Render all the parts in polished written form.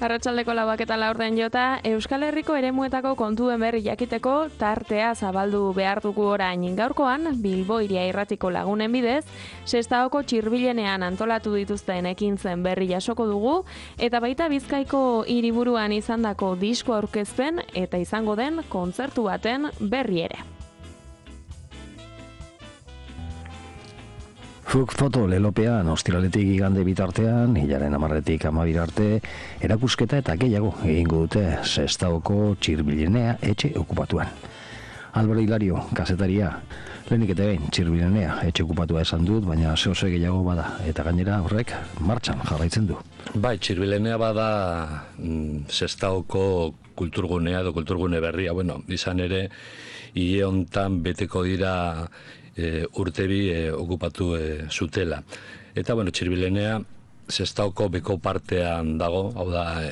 Arratsaldeko 4:04 jota, Euskal Herriko eremuetako kontuen berri jakiteko tartea zabaldu behar dugu orain. Gaurkoan, Bilbo Hiria Irratiko lagunen bidez, Sestaoko Txirbilenean antolatu dituzten ekintzen berri jasoko dugu, eta baita Bizkaiko hiriburuan izandako disko aurkezpen eta izango den kontzertu baten berri ere. Fuk foto lelopean, ostiraletik igande bitartean, hilaren 10-tik 12 arte, erakusketa eta gehiago egingo dute Sestaoko Txirbilenea etxe okupatuan. Álvaro Hilario, kazetaria, lehenik eta behin Txirbilenea etxe okupatua esan dut, baina zehose gehiago bada, eta gainera horrek martxan jarraitzen du. Bai, Txirbilenea bada Sestaoko kulturgunea edo kulturgune berria, izan ere, hile hontan beteko dira urtebi okupatu zutela. Eta, Txirbilenea Sestaoko beko partean dago, hau da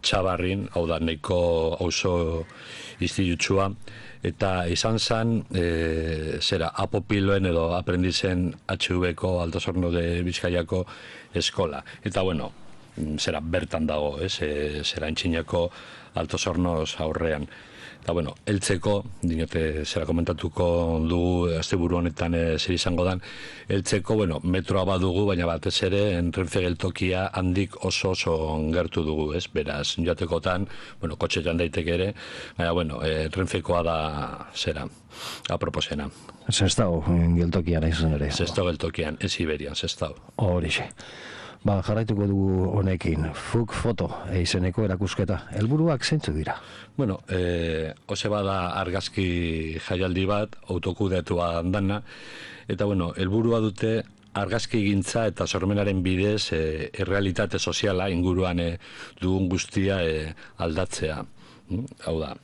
Txabarrin, hau da nahiko auzo institutsua, eta izan zen, apopiloen edo aprendizen HV-ko Alto Sorno de Bizkaiako eskola. Eta, bertan dago, entxinako Alto Sornoz aurrean. Eta, heltzeko, dinote, komentatuko dugu, asteburu honetan zer izango dan, heltzeko, metroa badugu, baina batez ere, Renfe geltokia handik oso gertu dugu, beraz, joatekotan, kotxetan daiteke ere, baina, Renfekoa da, aproposena. Sestao geltokian izan ere. Sestao geltokian, ez Iberian, Sestao. Horixe. Jarraituko dugu honekin, Fuk foto izeneko erakusketa. Helburuak zeintzu dira? Ose bada argazki jaialdi bat, autokudeatua dana, eta helburua dute argazki gintza eta sormenaren bidez errealitate soziala inguruan dugun guztia aldatzea. Hau da,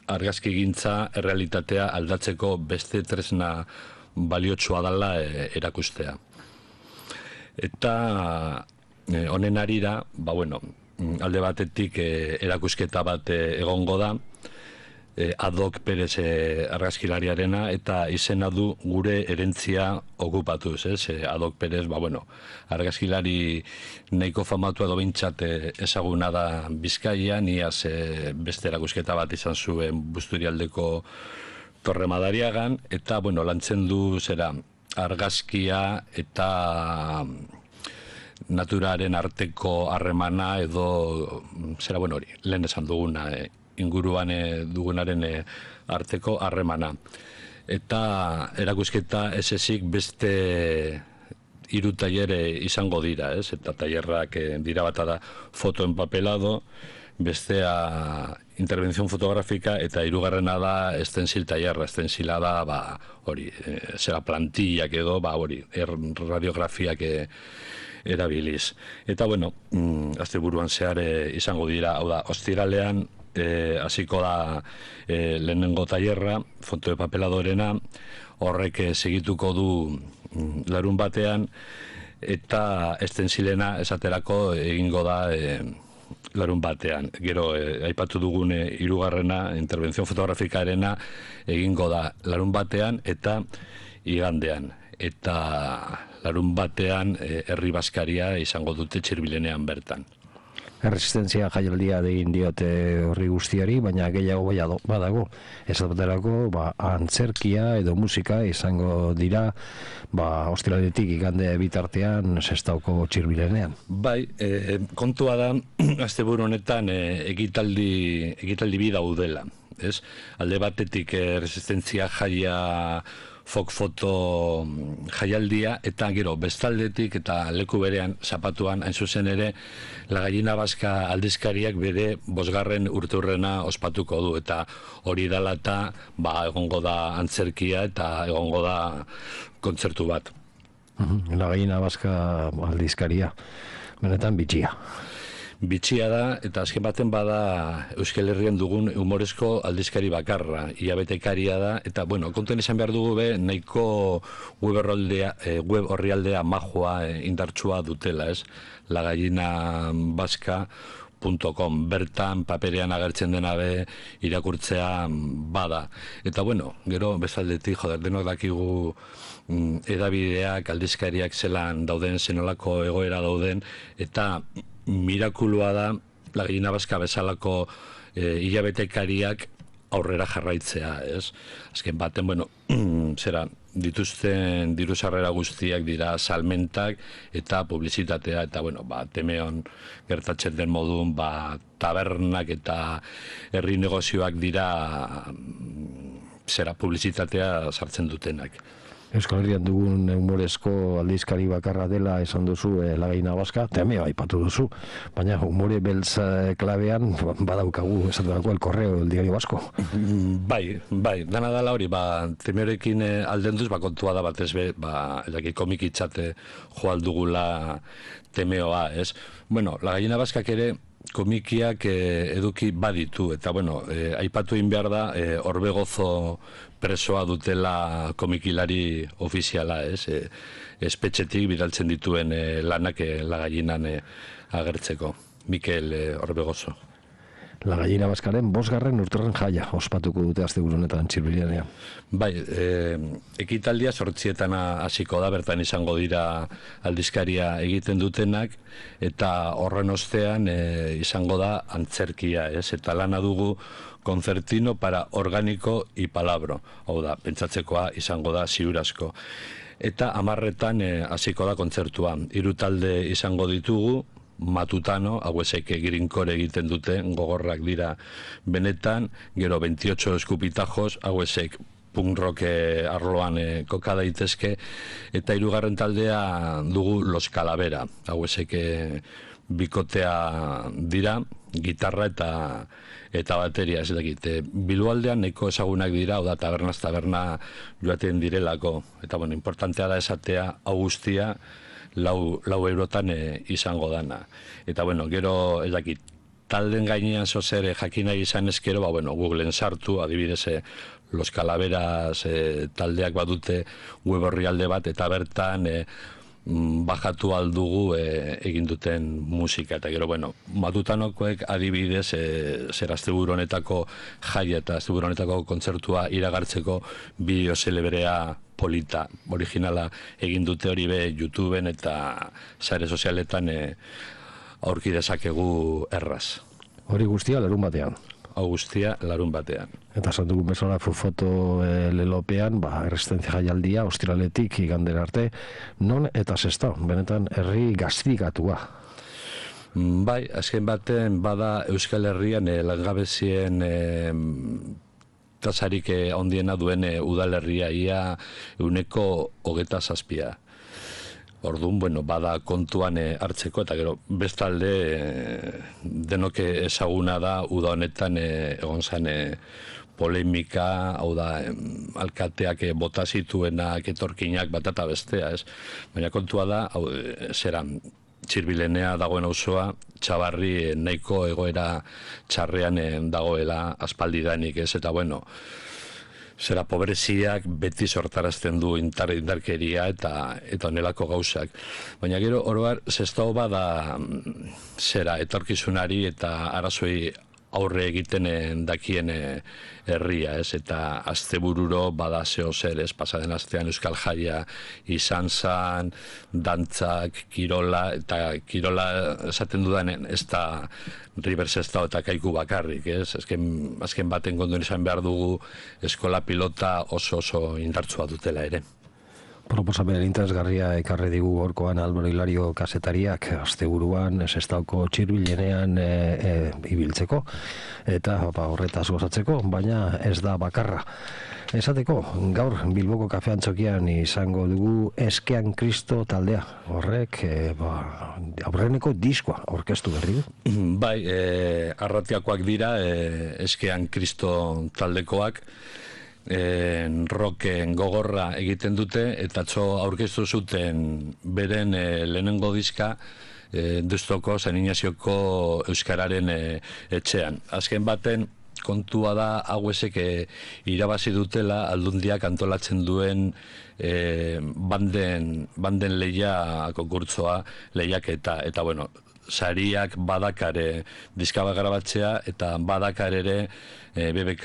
argazki gintza errealitatea aldatzeko beste tresna baliotsua dela erakustea. Eta honen arira, alde batetik erakusketa bat egongo da, Adok Perez argazkilariarena, eta izena du gure erentzia okupatuz. Adok Perez, argazkilari nahiko famatu edo bintzat ezaguna da Bizkaian, iaz beste erakusketa bat izan zuen Busturialdeko Torre Madariagan, eta lantzen du argazkia eta naturaren arteko harremana edo lehen esan duguna, inguruan dugunaren arteko harremana. Eta erakusketa ez ezik beste 3 tailere izango dira, eta tailerrak dira bata da foto empapelado, bestea intervención fotográfica, eta 3. da estensil tailerra. Estensila da, plantillak edo, radiografiak erabiliz. Eta, asteburuan zehar izango dira, hau da, ostiralean hasiko da lehenengo tailerra, foto de papeladorena, horrek segituko du larun batean, eta estensilena esaterako egingo da larun batean. Gero, aipatu dugun 3. intervención fotografikarena egingo da larun batean eta igandean. Eta larun batean herri bazkaria izango dute Txirbilenean bertan. Erresistentzia jaialdia egin diote horri guztiari, baina gehiago badago. Ez baterako, antzerkia edo musika izango dira, ostiraletik igande bitartean Sestaoko Txirbilenean. Bai, kontua da, asteburu honetan egitaldi bi daudela. Alde batetik erresistentzia jaia Fok foto jaialdia, eta gero bestaldetik eta leku berean zapatuan hain zuzen ere La Gallina Vasca aldizkariak bere 5. urteurrena ospatuko du, eta hori dela eta egongo da antzerkia eta egongo da kontzertu bat. La Gallina Vasca aldizkaria, benetan bitxia. Bitxia da, eta azken baten bada Euskal Herrian dugun humorezko aldizkari bakarra, hilabetekaria da, eta, konten izan behar dugu nahiko web orrialdea majoa indartsua dutela, lagallinabaska.com, bertan paperean agertzen dena irakurtzea bada. Eta, gero, bezaldetik, denok dakigu edabideak, aldizkariak zelan dauden, zenolako egoera dauden, eta mirakulua da La Gallina Vasca bezalako hilabetekariak aurrera jarraitzea, ez? Azken baten, bueno, dituzten diru sarrera guztiak dira salmentak eta publizitatea, eta, bueno, Temeon gertatzen den modun, tabernak eta herri negozioak dira publizitatea sartzen dutenak. Euskal Herrian dugun humorezko aldizkari bakarra dela esan duzu La Gallina Vasca, Temeo aipatu duzu, baina humore beltz klabean badaukagu esatutako El Correo, El Diario Vasco. Bai, dana dela hori, Temeorekin aldenduz, kontua da batez be, komik itzate joaldugula Temeoa, ez? Bueno, La Gallina Vascak ere komikiak eduki baditu, eta, bueno, aipatu egin behar da, Orbegozo presoa dutela komikilari ofiziala, ez? Espetxetik bidaltzen dituen lanak La Gallinan agertzeko. Mikel Orbegozo. La Gallina Vascaren 5. urterren jaia ospatuko dute asteburu honetan Txirbilenean. Bai, ekitaldia 8 hasiko da, bertan izango dira aldizkaria egiten dutenak, eta horren ostean izango da antzerkia, ez? Eta lana dugu Concertino para orgánico y palabro. Hau da, pentsatzekoa izango da ziurazko. Eta 10 hasiko da kontzertua. 3 talde izango ditugu, Matutano, hauesek Girinkore egiten dute, gogorrak dira benetan, gero 28 eskupitajos, hauesek punk rock arloan koka daitezke, eta 3. taldea dugu Los Calavera, hauesek bikotea dira, gitarra eta bateria, ez dakit. Bilboaldean nahiko ezagunak dira, oda tabernaz taberna joaten direlako, eta bueno, importantea da esatea, hau guztia, 4 eurotan izango dana. Eta, bueno, gero, ez dakit, talden gainean zozer jakina izan ezkero, bueno, Googleen sartu, adibidez, Los Calaveras taldeak badute web orrialde bat, eta bertan bajatu aldugu egin duten musika. Eta gero, bueno, Matutanokoek adibidez, asteburu honetako jaia eta asteburu honetako kontzertua iragartzeko bideo zelebrea polita, originala egin dute hori be YouTubeen eta sare sozialetan aurki dezakegu erraz. Hori guztia larun batean. Hau guztia larun batean. Eta santugu bezala Fufoto lelopean, erresistentzia jaialdia, ostiraletik igandera arte, non eta Sestao, benetan herri gaztikatua. Bai, azken baten bada Euskal Herrian langabezien tasarik ondiena duen udalerria, ia 27%. Orduan, bueno, bada kontuan hartzeko, eta gero bestalde denok ezaguna da uda honetan egon zen polemika, hau da, alkateak bota zituenak, etorkinak bat eta bestea, ez? Baina kontua da, zeran, Txirbilenea dagoen auzoa, Txabarri nahiko egoera txarrean dagoela aspaldidanik, ez? Eta, bueno, zera pobreziak beti sortarazten du indarkeria eta onelako gauzak. Baina gero, oroar, Sestao bada zera etorkizunari eta arazoi aurre egiten dakien herria, ez? Eta astebururo bada zeo zer, ez? Pasaden astean Euskal Jaia izan zan, dantzak, kirola, eta kirola esaten dudanen ez da River Sestao eta Kaiku bakarrik, ez? Azken baten kontuan izan behar dugu eskola pilota oso indartsua dutela ere. Proposamen interesgarria ekarri digu gorkoan Álvaro Hilario kazetariak asteburuan Sestaoko Txirbilenean ibiltzeko eta horretaz gozatzeko, baina ez da bakarra. Esateko, gaur Bilboko kafeantzokian izango dugu Eskean Kristo taldea. Horrek aurreneko diskoa aurkeztu berri du. Bai, arratiakoak dira Eskean Kristo taldekoak. Rocken gogorra egiten dute, eta aurkeztu zuten beren lehenengo diska Deustuko San Ignazioko Euskararen etxean. Azken baten kontua da hauesek irabazi dutela Aldundiak antolatzen duen banden leia konkurtsoa lehiaketa, eta bueno, sariak badakare diska bat grabatzea eta badakar ere BBK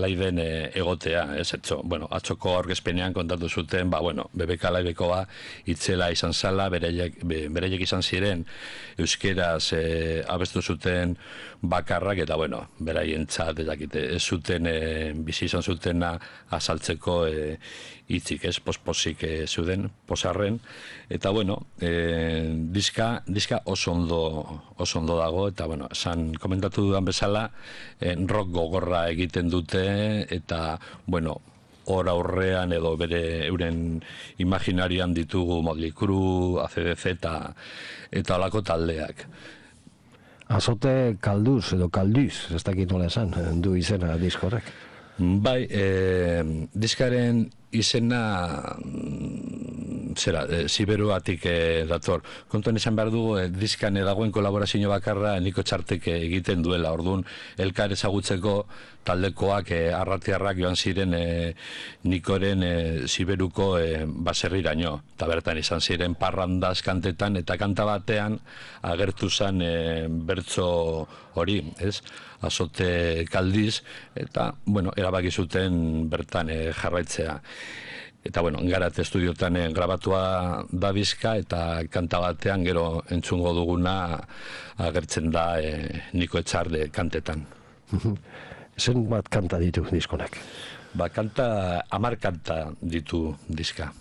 Liveen egotea, ez etxo. Bueno, atzoko aurkezpenean kontatu zuten, BBK Livekoa itzela izan zala, bereiek izan ziren euskeraz abestu zuten bakarrak, eta beraientzat ez zuten bizi izan zutena azaltzeko hitzik, ez, posposik zuden, posarren, eta diska oso ondo dago, eta esan komentatu dudan bezala, rock gogorra egiten dute, eta hor aurrean edo euren imaginarian ditugu Motley Crue, AC/DC eta holako taldeak. Azote Kalduz edo Kalduz, ez dakit nola esan, du izena diskorrek. Bai, diskaren izena Siberuatik dator. Kontuan izan behar dugu, diskan dagoen kolaborazio bakarra Niko Txartek egiten duela. Orduan, elkar ezagutzeko taldekoak arratiarrak joan ziren Nikoren Siberuko baserriraino. Eta bertan izan ziren parrandaz kantetan, eta kanta batean agertu zen bertso hori, ez? Azote Kaldiz, eta, erabaki zuten bertan jarraitzea. Eta, Garat estudiotan grabatua da diska, eta kanta batean gero entzungo duguna agertzen da Niko Etxarde kantetan. Zen bat kanta ditu diskonak? 10 kanta ditu diska.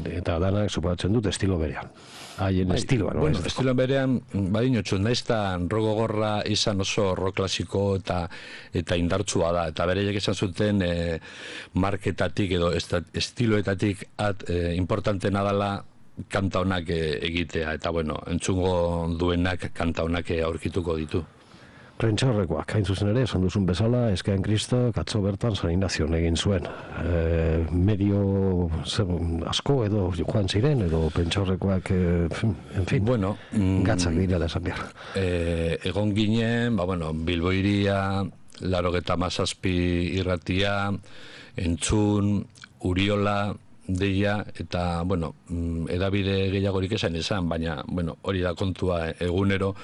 Eta danak supatzen dut estilo berean. Haien estiloan. Estilo berean, badinotxu, nahiz eta rock gogorra izan oso rock klasiko eta indartsua da. Eta bereiek esan zuten marketatik edo estiloetatik importantena dela kanta honak egitea. Eta entzungo duenak kanta honak aurkituko ditu. Prentxaurrekoak, hain zuzen ere, esan duzun bezala, Eskean Kristo, atzo bertan San Ignazion egin zuen. Medio asko edo joan ziren, edo prentxaurrekoak, en fin, gatzak direla esan behar. Egon ginen, Bilbo Hiria, 97 irratia, Entzun, Uriola, deia, eta, edabide gehiagorik esan, baina, hori da kontua egunero,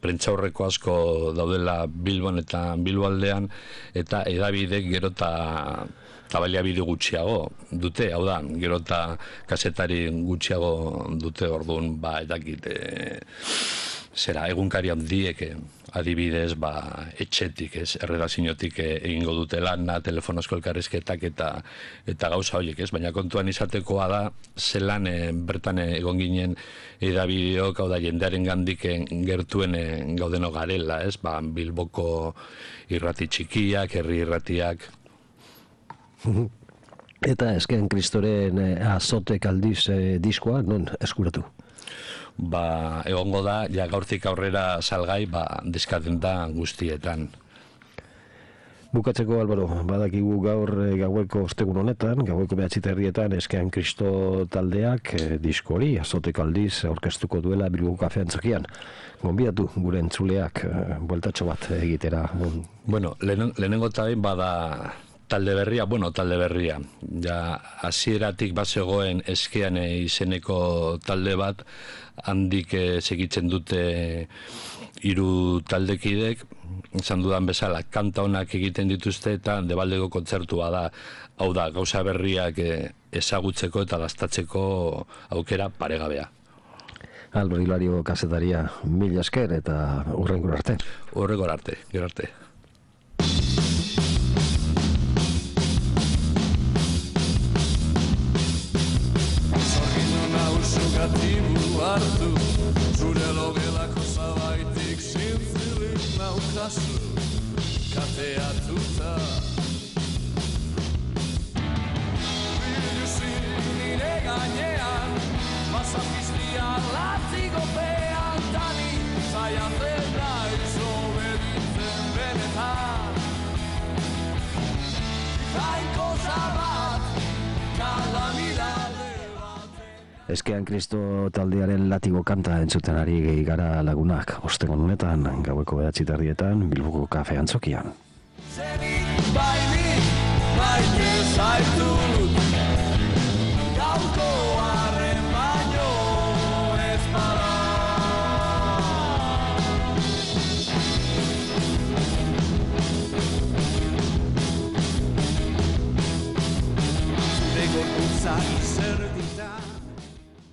prentxaurreko asko daudela Bilbon eta Bilboaldean, eta edabidek gero eta baliabide gutxiago dute, hau da, gero eta kasetari gutxiago dute, orduan, edakit, egunkari handiek, adibidez, etxetik, erredakziotik egingo dute lana, telefonosko elkarrizketak eta gauza horiek, baina kontuan izatekoa da, zelan bertan egon ginen edabideok, hau da, jendearen gandik gertuen gaudeno garela, Bilboko irrati txikiak, herri irratiak. Eta Eskean Kristoren Azote Kaldiz diskoa, non eskuratu? Egongo da, gaurtik aurrera salgai, diskatenta guztietan. Bukatzeko, Albaro, badakigu gaur gaueko ostegun honetan, gaueko 9:00 Eskean Kristo taldeak disko hori, Azote Kaldiz aurkeztuko duela Bilboko Kafean Txokian. Gonbidatu gure entzuleak bueltatxo bat egitera. Lehenengo eta bada talde berria. Hasieratik bazegoen Eskean izeneko talde bat, handik segitzen dute 3 taldekidek, izan dudan bezala, kanta honak egiten dituzte eta Debaldeko kontzertua da. Hau da, gauza berriak ezagutzeko eta dastatzeko aukera paregabea. Albero Hilario kazetaria, mila esker eta hurrengora arte. Hurrengora arte, gero arte. Negatibu hartu, zure logelako zabaitik zintzilik naukazu, kateatuta. Biluzin nire gainean, pasapiztia latzigopean, tani zaiatzen naiz obeditzen benetan. Jainko zabat, kalamidade. Eskean Kristo taldearen latigo kanta entzuten ari gara lagunak. Ostegun honetan, gaueko 9:00 Bilboko Kafean Txokian. Zenik bainik, maite zaitut, gauko arren baino ez bada. dakizerdi